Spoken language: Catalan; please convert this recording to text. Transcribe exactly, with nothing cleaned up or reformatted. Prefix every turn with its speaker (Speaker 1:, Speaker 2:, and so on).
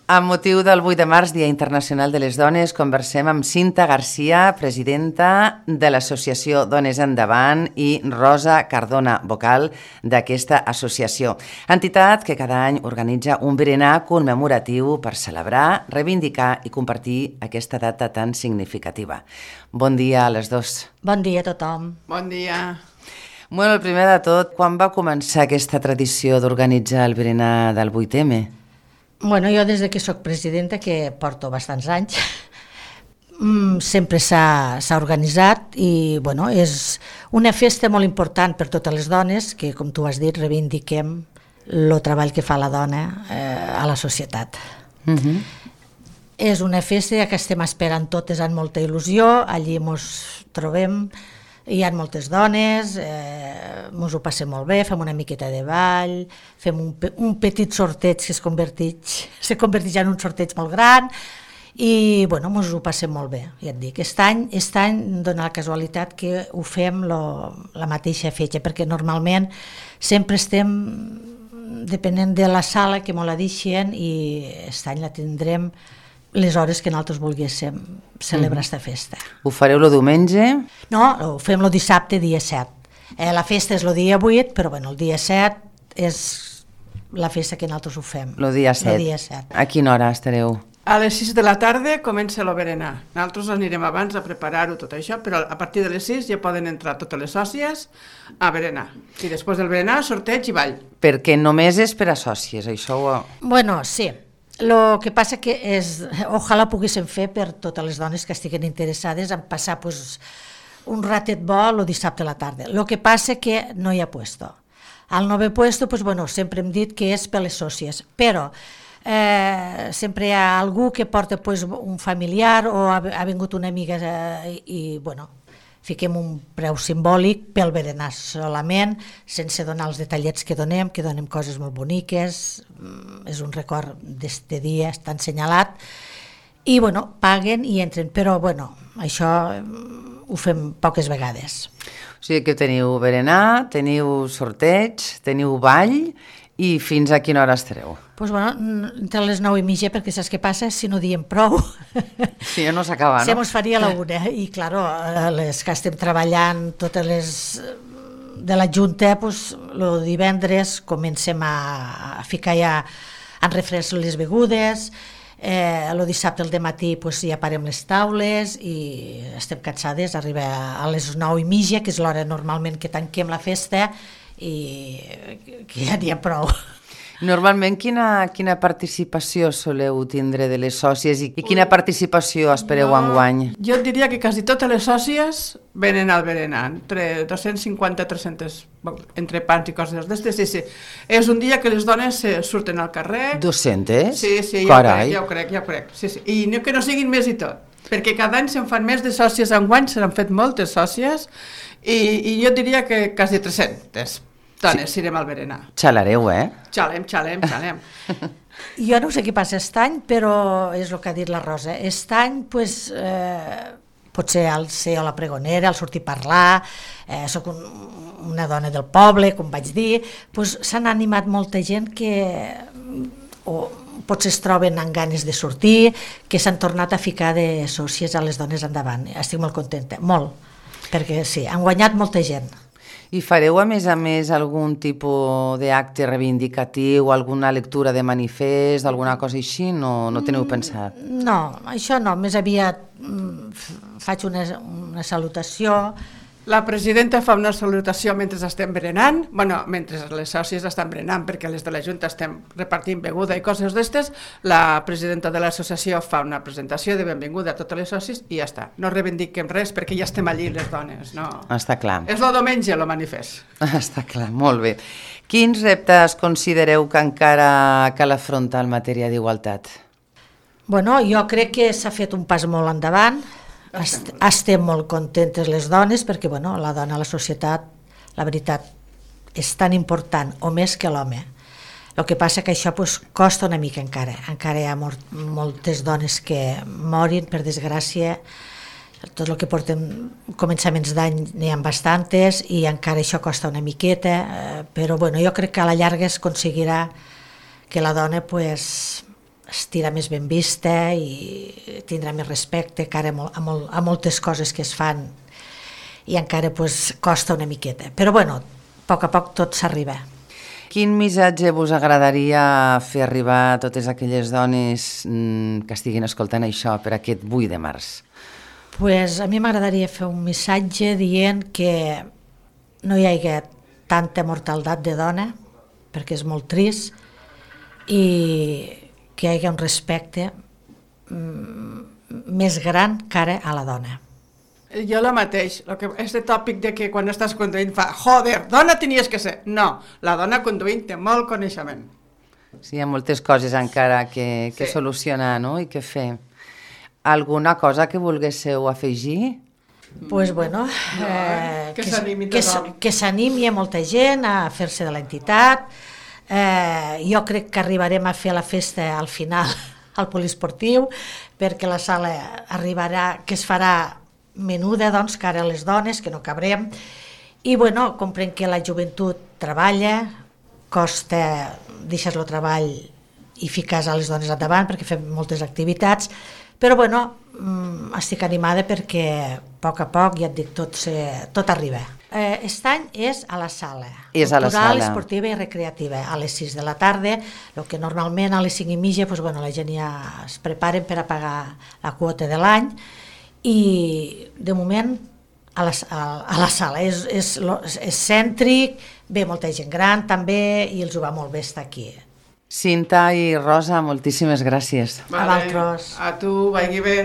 Speaker 1: Amb motiu del vuit de març, Dia Internacional de les Dones, conversem amb Cinta Garcia, presidenta de l'associació Dones Endavant, i Rosa Cardona, vocal d'aquesta associació. Entitat que cada any organitza un berenar commemoratiu per celebrar, reivindicar i compartir aquesta data tan significativa. Bon dia a les dos.
Speaker 2: Bon dia a tothom.
Speaker 3: Bon dia.
Speaker 1: Bueno, el primer de tot, quan va començar aquesta tradició d'organitzar el berenar del vuit eme?
Speaker 2: Bueno, jo des que soc presidenta, que porto bastants anys, sempre s'ha organitzat i bueno, és una festa molt important per totes les dones que, com tu has dit, reivindiquem el treball que fa la dona eh, a la societat. Uh-huh. És una festa que estem esperant totes amb molta il·lusió, allí ens trobem, hi ha moltes dones, eh, ens ho passem molt bé, fem una miqueta de ball, fem un, un petit sorteig que es converteix, se converteix en un sorteig molt gran i bueno, ens ho passem molt bé, ja et dic. Aquest any, aquest any dona la casualitat que ho fem lo, la mateixa fetge, perquè normalment sempre estem depenent de la sala que ens la deixen i aquest any la tindrem les hores que nosaltres volguéssim celebrar aquesta festa.
Speaker 1: Ho fareu el diumenge?
Speaker 2: No, ho fem el dissabte, dia set. Eh, la festa és el dia vuit, però bueno, el dia set és la festa que nosaltres ho fem.
Speaker 1: El dia set.
Speaker 2: El dia set.
Speaker 1: A quina hora estareu?
Speaker 3: A les sis de la tarda comença el berenar. Nosaltres anirem abans a preparar-ho tot això, però a partir de les sis ja poden entrar totes les sòcies a berenar. I després del berenar, sorteig i ball.
Speaker 1: Perquè només és per a sòcies, això ho...
Speaker 2: Bueno, sí. El que passa que és, ojalà poguéssim fer per totes les dones que estiguen interessades en passar pues, un ratet bo el dissabte a la tarda. El que passa que no hi ha puesto. Al no haver puesto, pues, bueno, sempre hem dit que és per les sòcies, però eh, sempre hi ha algú que porta pues, un familiar o ha, ha vingut una amiga eh, i, bueno, fiquem un preu simbòlic pel berenar solament, sense donar els detallets que donem, que donem coses molt boniques, és un record d'este dia, està assenyalat, i bueno, paguen i entren, però bueno, això ho fem poques vegades.
Speaker 1: O sigui que teniu berenar, teniu sorteig, teniu ball, i fins a quina hora estareu?
Speaker 2: Pues bueno, entre les nou i mitja, perquè saps què passa? Si no diem prou...
Speaker 1: Si ja no s'acaba, no?
Speaker 2: Se mos faria a la una, i claro, les que estem treballant, totes les de la Junta, pues, el divendres comencem a, a ficar ja en refresc les begudes, eh, el dissabte al dematí pues, ja parem les taules i estem cansades, arriba a les nou i mitja, que és l'hora normalment que tanquem la festa, i que ja n'hi ha prou.
Speaker 1: Normalment, quina, quina participació soleu tindre de les sòcies i, i quina participació espereu no, enguany?
Speaker 3: Jo diria que quasi totes les sòcies venen al berenar, entre dos-cents cinquanta a tres-cents, entre pans i coses d'estes, sí, sí. És un dia que les dones surten al carrer.
Speaker 1: dos-cents?
Speaker 3: Sí, sí, ja ho crec, ja ho crec, ja ho crec. Sí, sí. I no, que no siguin més i tot, perquè cada any se'n fan més de sòcies, enguany se n'han fet moltes sòcies, i, i jo diria que quasi tres-centes. Dones, sí. Irem al berenar.
Speaker 1: Xalareu, eh?
Speaker 3: Xalem, xalem, xalem.
Speaker 2: Jo no sé què passa aquest any, però és el que ha dit la Rosa. Aquest any, pues, eh, potser al ser a la pregonera, al sortir a parlar, eh, soc un, una dona del poble, com vaig dir, pues, s'han animat molta gent que o, potser es troben amb ganes de sortir, que s'han tornat a ficar de sòcies a les dones endavant. Estic molt contenta, molt, perquè sí, han guanyat molta gent.
Speaker 1: I fareu, a més a més, algun tipus d'acte reivindicatiu, alguna lectura de manifest, alguna cosa així? No, no teniu pensat?
Speaker 2: No, això no. Més aviat faig una, una salutació.
Speaker 3: La presidenta fa una salutació mentre estem berenant, bueno, mentre les sòcies estan berenant, perquè les de la Junta estem repartint beguda i coses d'estes, la presidenta de l'associació fa una presentació de benvinguda a totes les sòcies i ja està. No reivindiquem res perquè ja estem allí les dones, no.
Speaker 1: Està clar.
Speaker 3: És el diumenge, el manifest.
Speaker 1: Està clar, molt bé. Quins reptes considereu que encara cal afrontar en matèria d'igualtat?
Speaker 2: Bueno, jo crec que s'ha fet un pas molt endavant. Estem molt contentes les dones perquè bueno, la dona a la societat, la veritat, és tan important o més que l'home. El que passa que això pues, costa una mica encara. Encara hi ha mort, moltes dones que morin, per desgràcia. Tot el que porten començaments d'any n'hi ha bastantes i encara això costa una miqueta, eh, però bueno, jo crec que a la llarga es aconseguirà que la dona pues, estirà més ben vista i tindrà més respecte cara a, mol, a, mol, a moltes coses que es fan i encara pues, costa una miqueta. Però bueno, a poc a poc tot s'arriba.
Speaker 1: Quin missatge vos agradaria fer arribar a totes aquelles dones mm, que estiguin escoltant això per aquest vuit de març?
Speaker 2: Pues a mi m'agradaria fer un missatge dient que no hi hagi tanta mortaldat de dona, perquè és molt trist, i que hi hagi un respecte mm, més gran cara a la dona.
Speaker 3: Jo la mateix, lo que, este tòpic de que quan estàs conduint fa joder, dona tenies que ser. No, la dona conduint té molt coneixement.
Speaker 1: Sí, hi ha moltes coses encara que, que
Speaker 3: Sí.
Speaker 1: solucionar, no?, i que fer. Alguna cosa que volguéssiu afegir?
Speaker 2: Pues bueno,
Speaker 3: No,
Speaker 2: eh,
Speaker 3: que s'animi
Speaker 2: que,
Speaker 3: tothom.
Speaker 2: que s'animi a molta gent a fer-se de l'entitat. Eh, jo crec que arribarem a fer la festa al final al poliesportiu, perquè la sala arribarà, que es farà menuda, doncs, cara a les dones, que no cabrem. I bueno, comprenc que la joventut treballa, costa, deixes el treball i fiques a les dones endavant perquè fem moltes activitats, però bueno, estic animada perquè a poc a poc, ja et dic, tot, se, tot arriba. Eh, aquest any és a la sala,
Speaker 1: És a la
Speaker 2: cultural,
Speaker 1: sala.
Speaker 2: esportiva i recreativa, a les sis de la tarda, el que normalment a les cinc i mitja pues, bueno, la gent ja es preparen per a pagar la quota de l'any, i de moment a la, a, a la sala és, és, és cèntric, ve molta gent gran també i els ho va molt bé estar aquí.
Speaker 1: Cinta i Rosa, moltíssimes gràcies.
Speaker 2: A vosaltres.
Speaker 3: A tu, vagi bé.